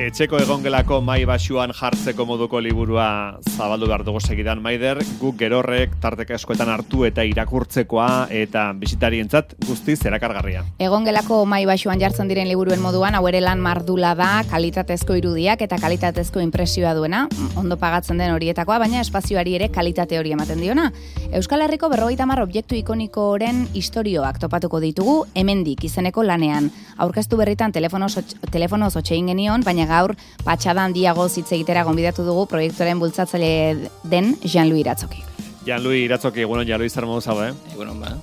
Etxeko egongelako mai basuan jartzeko moduko liburua zabaldu behar dugu segidan, Maider, guk gerorrek tarteka askoetan hartu eta irakurtzekoa eta bisitarientzat guztiz erakargarria. Egongelako mai basuan jartzen diren liburuen moduan, hau ere lan mardula da, kalitatezko irudiak eta kalitatezko inpresioa duena, ondo pagatzen den horietakoa, baina espazioari ere kalitate hori ematen diona. Euskal Herriko 50 objektu ikonikoren istorioak topatuko ditugu hemendik izeneko lanean. Aurkeztu berritan telefonoz otxein genion, baina gaur patxada handiago hitz egitera gonbidatu dugu proiektuaren bultzatzaile den Jean-Louis Iratzoki. Jean-Louis Iratzoki, egunon, Jean-Louis, zer modu zau, Egunon, ba.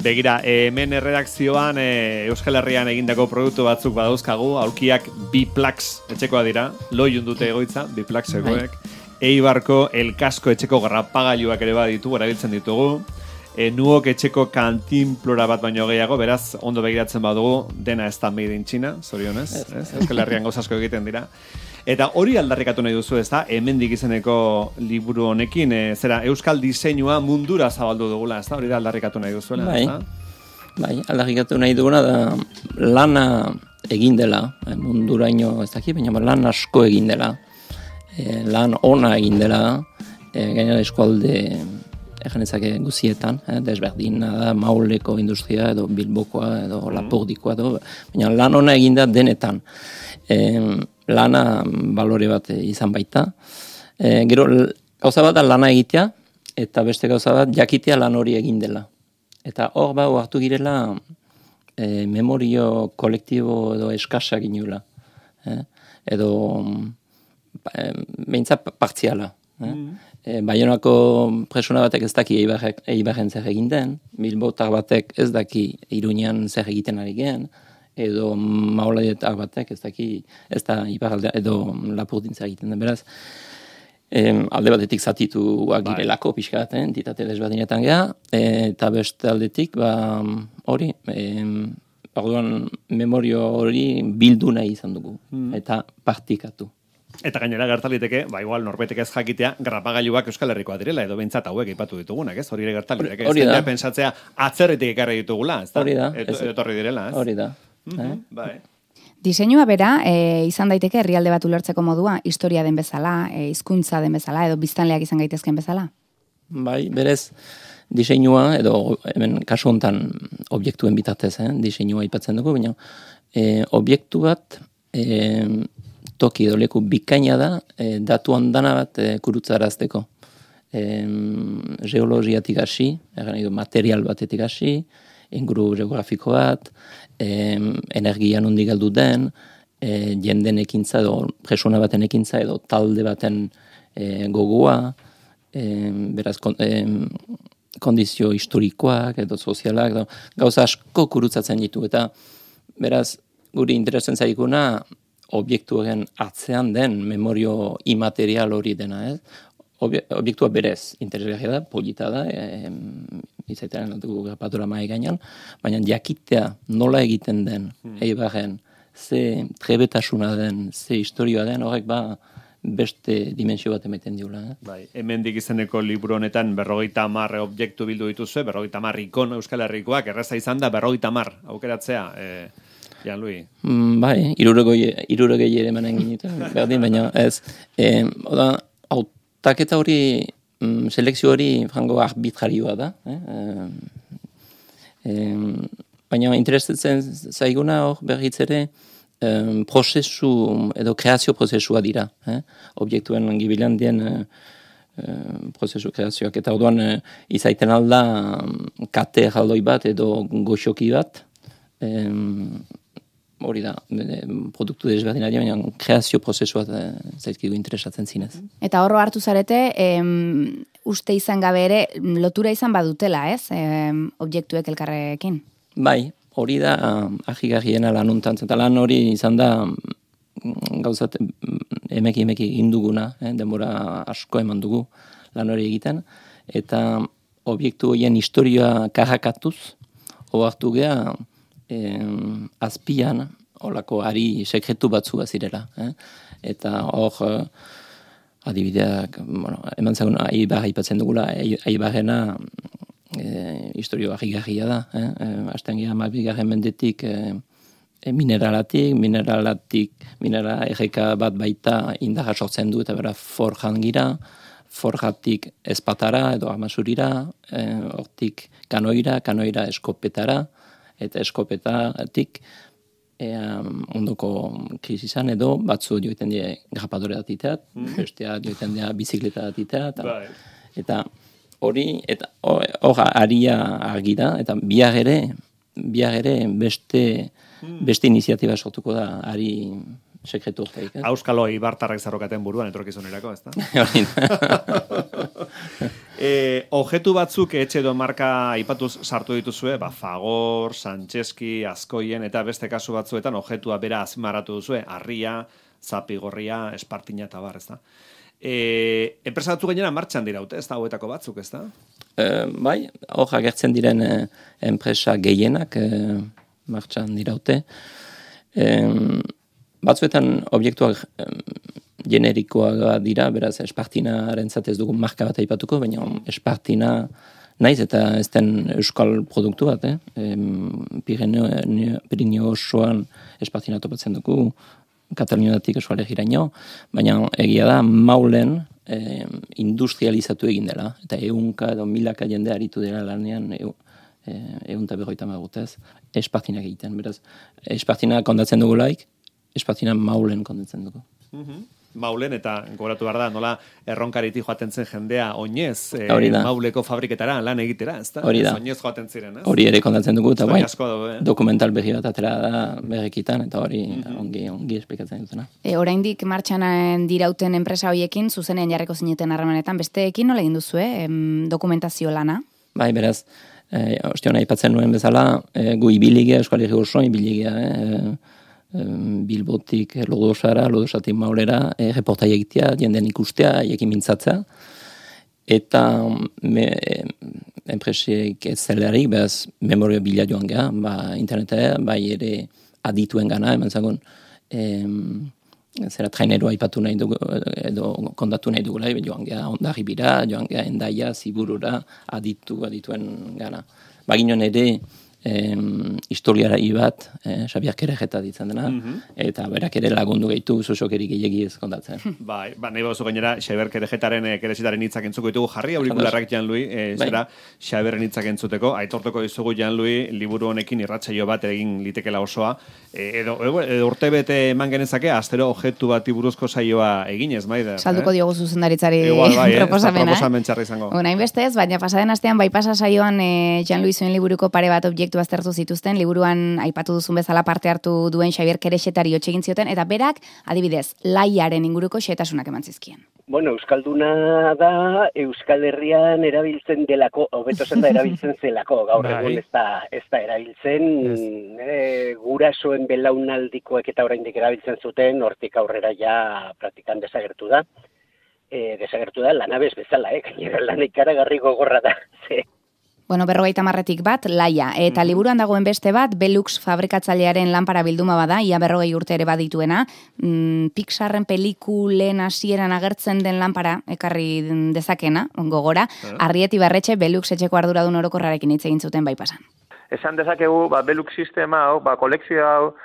Begira, hemen erredakzioan Euskal Herrian egindako produktu batzuk badauzkagu, aulkiak Biplax etxekoa dira, loiun dute egoitza, Biplaxekoek, Eibarko elkasko etxeko garrapagailuak ere baditu, erabiltzen ditugu, nuok etxeko kantinplora bat baino gehiago, beraz, ondo begiratzen badugu, dena ez da made in China, zorionez, Euskal Herrian gauzasko egiten dira. Eta hori aldarrikatu nahi duzu, ez da, hemendik izeneko liburu honekin, zera, Euskal diseinua mundura zabaldu dugula, ez da, hori da aldarrikatu nahi duzuela, ez da? Bai, aldarrikatu nahi duguna da lana egin dela, munduraino ez daki, baina lan asko egin dela, lan ona egin dela, gainera eskualde eganezake guzietan, desberdina da, Mauleko industria, edo Bilbokoa, edo Lapordikoa, baina lan ona egin da denetan. Lana balore bat izan baita. Gero, gauza bat da lana egitea, eta beste gauza bat jakitea lan hori egin dela. Eta hor hartu girela memorio kolektibo edo eskasak inula. Edo behintzat partziala. Baionako presuna batek ez daki Eibarren zer egin den, Bilbotar batek ez daki Iruñan zer egiten ari gen, edo Mauladetar batek ez daki, ez da Ibarralde edo Lapurdin zer egiten den, beraz, alde batetik zatituak girelako pixkat, entitate desberdinetan geha, eta beste aldetik, hori, orduan memorio hori bildu nahi izan dugu, eta partikatu. Eta gainera gertaliteke, igual norbetek ez jakitea, garrapagailuak Euskal Herrikoa direla, edo behintzat hauek aipatu ditugunak, ez? Hori ere gertaliteke. Hori da. Pentsatzea atzerritik ekarri ditugula, ez da? Hori da. Etorri direla, ez? Hori da. Bai. Diseinua bera, izan daiteke herrialde bat ulertzeko modua, historia den bezala, hizkuntza den bezala, edo biztanleak izan gaitezken bezala? Bai, berez, diseinua, edo hemen kasu hontan objektuen bitartez, diseinua aipatzen dugu, baina objektu bat toki edo leku bikaina da, datu handana bat kurutzarazteko. Geologiatik hasi, material batetik hasi, inguru geografiko bat, energia nondik galdu den, jenden ekintza edo presuna baten ekintza edo talde baten gogoa, beraz kondizio historikoak edo sozialak, edo, gauza asko kurutzatzen ditu, eta beraz guri interesatzen zaiguna objektuaren atzean den memorio imaterial hori dena, ez? Objektua berez, interesgarria da, polita da, izaitean dugu grapatura mai gainean, baina jakitea nola egiten den, Eibarren, ze trebetasuna den, ze historioa den, horrek beste dimensio bat ematen diula. Bai, hemendik izeneko liburu honetan 50 objektu bildu dituzue, 50 ikon Euskal Herrikoak, erraza izan da 50 aukeratzea, Jean-Louis. Bai, 60 ere emanen ginuten, berdin, baina ez. Hautaketa hori, selekzio hori frango arbitrarioa da. Baina interesatzen zaiguna hor berriz ere prozesu edo kreazio prozesua dira. Objektuen gibilan dien prozesu kreazioak. Eta orduan izaiten alda kate jaldoi bat edo goxoki bat, hori da, produktu desberdinari, baina kreazio prozesua zaizkigu interesatzen zinez. Eta horro hartu zarete, uste izan gabe ere, lotura izan badutela, ez? Objektuek elkarrekin. Bai, hori da, ahigarriena lanuntan, eta lan hori izan da, gauzat, emeki induguna, denbora asko eman dugu lan hori egiten, eta objektu horien historia karrakatuz, ohartu geha, azpian, holako ari sekretu batzu bazirela. Eta hor, adibideak, eman zagun, Eibar aipatzen dugula, Eibarrena historio ahigarria da. Hasten geha, 12. mendetik minerala erreka bat baita indarra sortzen du, eta bera forjan gira, forjatik espatara edo amasurira, hortik kanoira eskopetara, eta eskopetatik ondoko krisisan edo batzu joiten die grapadore datiteat, bestea joiten die bizikleta datiteat, eta hori, eta hor aria argi da, eta bihar ere beste iniziatiba sortuko da ari sekretu horreik. Auskalo ibartarrak zarrokaten buruan etorkizunerako, ez da? Objetu batzuk etxe edo marka aipatuz sartu dituzue, Fagor, Santxeski, Azkoien, eta beste kasu batzuetan objetua bera azmaratu duzue, Arria, Zapigorria, Espartina eta bar, ez da? Enpresa batzuk gainera martxan diraute, ez da, hauetako batzuk, ez da? Bai, hor agertzen diren enpresa gehienak martxan diraute. Batzuetan objektuak generikoa dira, beraz Espartinaren zatez dugu marka bat aipatuko, baina Espartina naiz eta ez den euskal produktu bat, Pirineo osoan Espartina topatzen dugu, Kataluniatik Eskualegiraino, baina egia da Maulen industrializatu egin dela, eta 100 edo 1000 jende aritu dela lanean 150 urtez Espartinak egiten, beraz Espartina kondatzen dugulaik, Espartina Maulen kondatzen dugu. Maulen, eta gogoratu behar da, nola erronkariti joaten zen jendea oinez Mauleko fabriketara lan egitera, ez da? Hori da. Oinez joaten ziren, ez? Hori ere kontatzen dugu, eta bai, dokumental berri bat atera da berrikitan, eta hori ongi esplikatzen dutena. Oraindik martxan dirauten enpresa horiekin, zuzenean jarriko zineten harremanetan, besteekin nola egin duzu, dokumentazio lana? Bai, beraz, ostion aipatzen nuen bezala, gu ibiligea, Euskal Herri osoan ibiligea, Bilbotik Lodosara, Lodosatik Maulera, reportai egitea, jenden ikustea, ekin mintzatzea, eta enpresiek ez zelarik, behaz memoria bila joan geha, internetea, bai ere adituen gana, eman zagon, zera traineroa aipatu nahi dugu, edo kontatu nahi dugula, joan geha Hondarribira, joan geha Hendaia, Ziburura, adituen gana. Baginon ere, historiarai bat, Xabier Kerejeta ditzen dena, eta berak ere lagundu gehitu zuzokeri gehiagi ez kontatzen. Bai, nahi bauzu gainera, Xabier Kerejetaren keresetaren hitzak entzuko ditugu, jarri aurikularrak Jan-Lui, zera Xabierren hitzak entzuteko, aitortuko dizugu Jan-Lui, liburu honekin irratsaio bat egin litekela osoa, edo urte bete eman genezake, astero objektu bati buruzko saioa eginez, Maider. Salduko diogu zuzendaritzari proposamena. Proposamen txarra izango. Hain bestez, baina pasaden astean bai pasa saioan Jan-Lui zuen liburuko pare bat objektu aztertu zituzten, liburuan aipatu duzun bezala parte hartu duen Xabier Kerexetari egin zioten, eta berak, adibidez, laiaren inguruko xehetasunak eman zizkien. Bueno, euskalduna da Euskal Herrian erabiltzen delako, hobeto zen da erabiltzen zelako, gaur egun ez da erabiltzen, gurasoen belaunaldikoek eta oraindik erabiltzen zuten, hortik aurrera ja praktikan desagertu da. Desagertu da lanabez bezala, gainera lan ikaragarri gogorra da, Bueno, 50 bat, laia. Eta liburuan dagoen beste bat, Belux fabrikatzailearen lanpara bilduma bada, ia 40 urte ere badituena. Pixarren pelikulen hasieran agertzen den lanpara, ekarri dezakena, gogora. Arrieti Barretxe, Belux etxeko arduradun orokorrarekin hitz egin zuten bai pasan. Esan dezakegu, Belux sistema hau, kolekzio hau,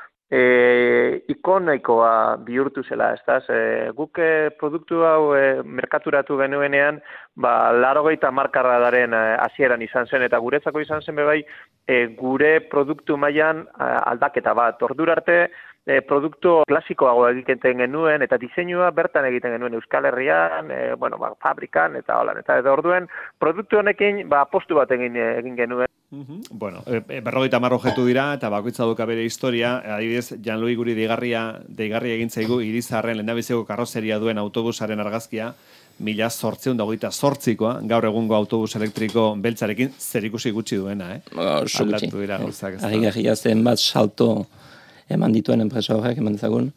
ikonoikoa bihurtu zela, ez guk produktu hau merkaturatu genuenean, 80 markarradaren hasieran izan zen, eta guretzako izan zen bebai, gure produktu mailan aldaketa bat. Ordura arte, produktu klasikoago egiten genuen, eta diseinua bertan egiten genuen Euskal Herrian, fabrikan, eta holan. Eta orduen, produktu honekin, apostu bat egin genuen. Bueno, 50 objektu dira, eta bakoitza duka bere historia, adibidez, Jan-Lui guri deigarri egin zaigu Irizarren lehendabiziko karrozeria duen autobusaren argazkia, 1828koa, gaur egungo autobus elektriko beltzarekin zerikusi gutxi duena, Aldatu dira gauzak. Harrigarria zen bat salto eman dituen enpresa horrek, eman dezagun,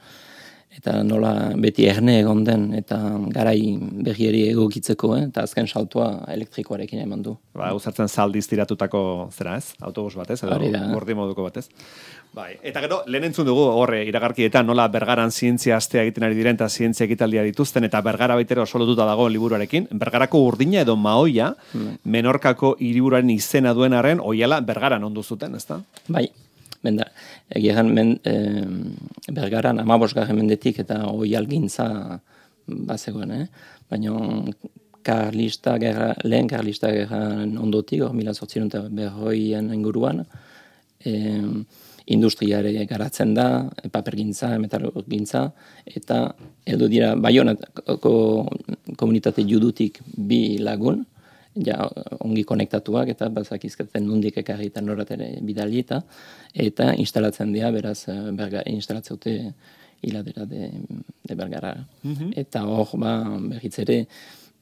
eta nola beti erne egon den, eta garai berrieri egokitzeko, eta azken saltoa elektrikoarekin eman du. Uzartzen zaldiz tiratutako zera ez? Autobus batez, edo gordi moduko batez. Bai, eta gero, lehen entzun dugu horre iragarkietan nola Bergaran zientzia astea egiten ari diren eta zientzia ekitaldia dituzten, eta Bergara baitero oso lotuta dago liburuarekin. Bergarako urdina edo maoia, Menorkako hiriburuaren izena duen arren, oiala Bergaran ondu zuten, ezta? Bai, Bergaran 15. mendetik eta oihalgintza bazegoen, baina lehen karlista gerran ondotik, 1840 inguruan, industriare garatzen da, papergintza, metalurgintza, eta heldu dira Baionako komunitate judutik 2 lagun, ja ongi konektatuak eta bazakizkaten nondik ekarri eta noratere bidali eta instalatzen dira, beraz instalatzeute hiladera de Bergara. Eta hor, berriz ere,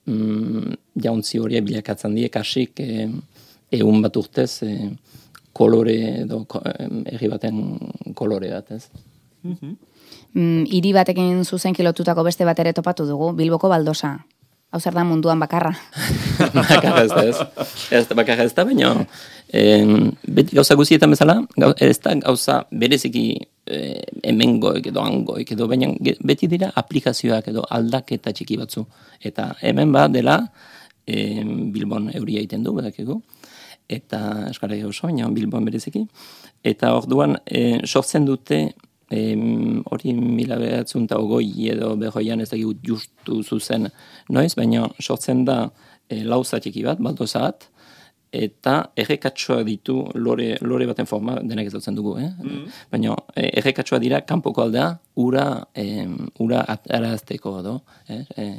jauntzi hori bilakatzen die kasik 100 bat urtez kolore edo herri baten kolore bat, ez? Hiri batekin zuzen kilotutako beste bat ere topatu dugu, Bilboko Baldosa. Hau zer da munduan bakarra? Bakarra ez da, bakarra ez da, baina gauza guztietan bezala, ez da gauza bereziki hemengoik edo hangoik edo, baina beti dira aplikazioak edo aldaketa txiki batzu. Eta hemen dela Bilbon euria egiten du, badakigu, eta Euskal Herria oso, baina Bilbon bereziki. Eta orduan sortzen dute hori 1920 edo 40 ez dakigu justu zuzen noiz, baina sortzen da lauza txiki bat, baldozat, eta errekatsoa ditu lore baten forma, denak ezautzen dugu, baina errekatsoa dira kanpoko aldea ura arazteko edo,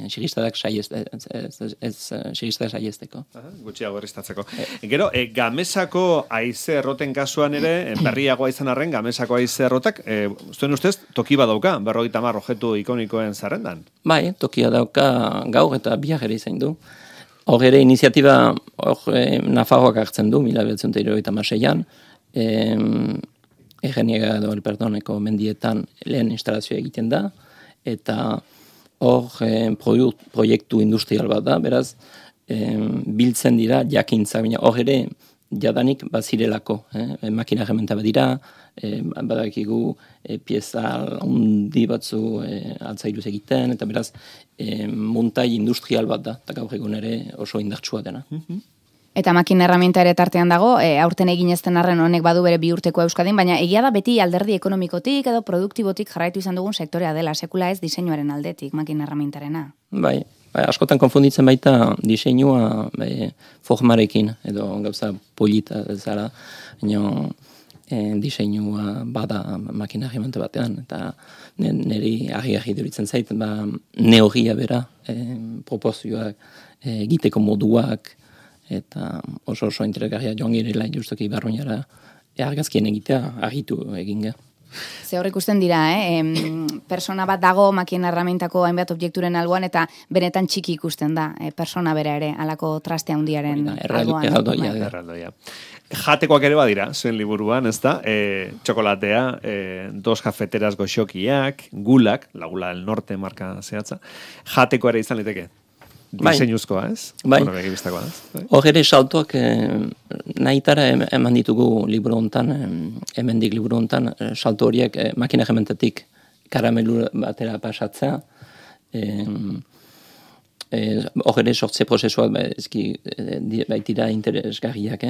sigistadak saiesteko. Gutxiago erriztatzeko. Gero, Gamesako haize erroten kasuan ere, berriagoa izan arren, Gamesako haize errotak, zuen ustez, toki badauka, 50 objetu ikonikoen zerrendan? Bai, tokia dauka gaur eta biak ere izan du. Hor ere iniziatiba Nafarroak hartzen du, 1976an, Egeniega edo Elperdoneko mendietan lehen instalazioa egiten da, eta hor proiektu industrial bat da, beraz, biltzen dira jakintza, baina hor ere jadanik bazirelako, makina herramienta bat dira, badakigu pieza handi batzu altzairuz egiten, eta beraz montai industrial bat da, eta gaur egun ere oso indartsua dena. Eta makina herramienta ere tartean dago, aurten egin ezten arren honek badu bere 2 urteko Euskadin, baina egia da beti alderdi ekonomikotik edo produktibotik jarraitu izan dugun sektorea dela, sekula ez diseinuaren aldetik, makina herramientarena. Bai, askotan konfunditzen baita diseinua formarekin, edo gauza polita zara, baina diseinua bada makina herramienta batean, eta niri argi duritzen zait, neogia bera, proporzioak, egiteko moduak, eta oso interesgarria joan girela justuki Barruñara argazkien egitea argitu egin ga. Ze hor ikusten dira, persona bat dago makina herramientako hainbat objekturen alboan eta benetan txiki ikusten da, persona bera ere, alako traste handiaren alboan. Erraldoia. Jatekoak ere badira, zuen liburuan, ez da? Txokolatea, 2 kafeteras goxokiak, gulak, la Gula del Norte marka zehatza. Jateko ere izan liteke? Diseinuzkoa, ez? Bai. Ez? Hor ere saltoak nahitara eman ditugu liburu hontan, hemendik liburu hontan, salto horiek makina herramientatik karamelu batera pasatzea, hor ere sortze prozesuak baitira interesgarriak,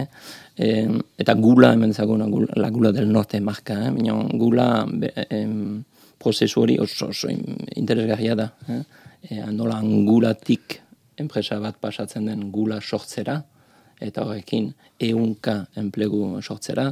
eta gula hemen zagun, la Gula del Norte marka, gula prozesu hori oso interesgarria da, nola angulatik enpresa bat pasatzen den gula sortzera, eta horrekin 100 enplegu sortzera,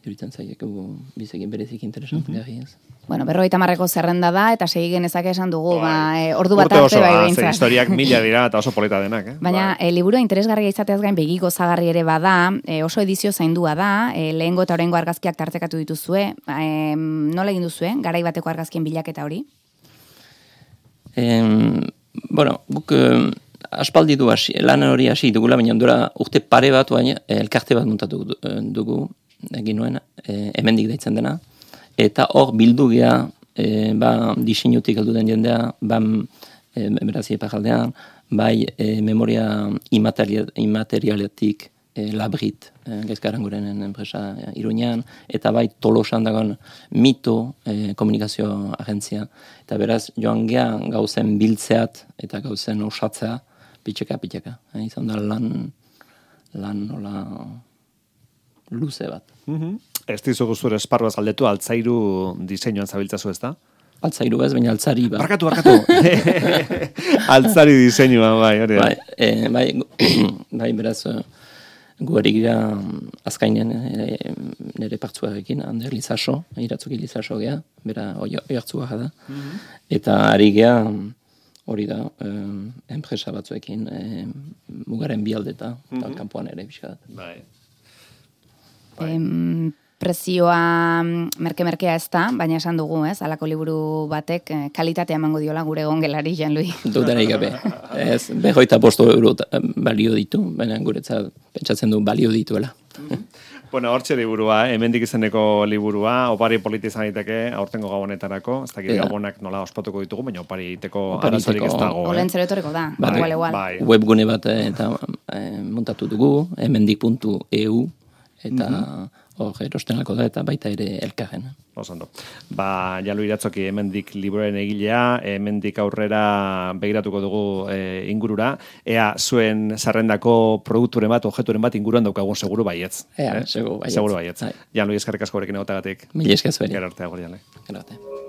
iruditzen zaigu biziki berezik interesant gari ez. Bueno, 50 zerrenda da, eta segi genezake esan dugu, ordu bat arte bai behintzat. Historiak 1000 dira, eta oso polita denak. Baina, liburua interesgarria izateaz gain begi gozagarri ere bada, oso edizio zaindua da, lehengo eta orengo argazkiak tartekatu dituzue, nola egin duzue, garai bateko argazkien bilaketa hori? Bueno, guk aspaldi du lan hori hasi dugula, baina dura urte pare bat elkarte bat montatu dugu, egin nuen, hemendik deitzen dena, eta hor bildu gea, diseinutik heldu den jendea, berazia pajaldean, bai memoria imaterialetik Labrit, Gaizkarangurenen enpresa Iruñean, eta bai Tolosan dagoen Mito komunikazio agentzia. Eta beraz, joan gea gauzen biltzeat eta gauzen osatzea pitxeka. Izan da lan nola luze bat. Ez dizugu zure esparruaz galdetu, altzairu diseinuan zabiltzazu, ez da? Altzairu ez, baina altzari ba. Barkatu. Altzari diseinua, bai, hori. Bai, beraz, gu ari gira azkainen nire partzuarekin, Ander Lizaso, iratzuki Lizaso gea, bera oiartzua da. Eta ari gea, hori da, enpresa batzuekin, mugaren bialdeta, eta kanpoan ere pixka da. Bai. Prezioa merke-merkea ez da, baina esan dugu, ez? Halako liburu batek kalitatea emango diola gure egongelari, Jean-Louis. Dudarik gabe. Ez, 25 euro balio ditu, baina guretzat pentsatzen du balio dituela. Bueno, hortxe liburua, hemendik izeneko liburua, opari politi izan daiteke, aurtengo gabonetarako, ez dakit gabonak nola ospatuko ditugu, baina opari egiteko arazorik ez dago. Olentzero etorriko da, igual. Webgune bat eta montatu dugu, hemendik.eu, eta hor erostenako da, eta baita ere elkarren. Osando. Jean-Louis Iratzoki hemendik liburuaren egilea, hemendik aurrera begiratuko dugu ingurura, ea zuen zerrendako produkturen bat, objekturen bat inguruan daukagun seguru baietz. Seguru baietz. Seguru baietz. Jean-Louis eskerrik asko horrekin egotagatik. Mil esker zueri. Gero arte, agor, Jean-Louis. Gero arte.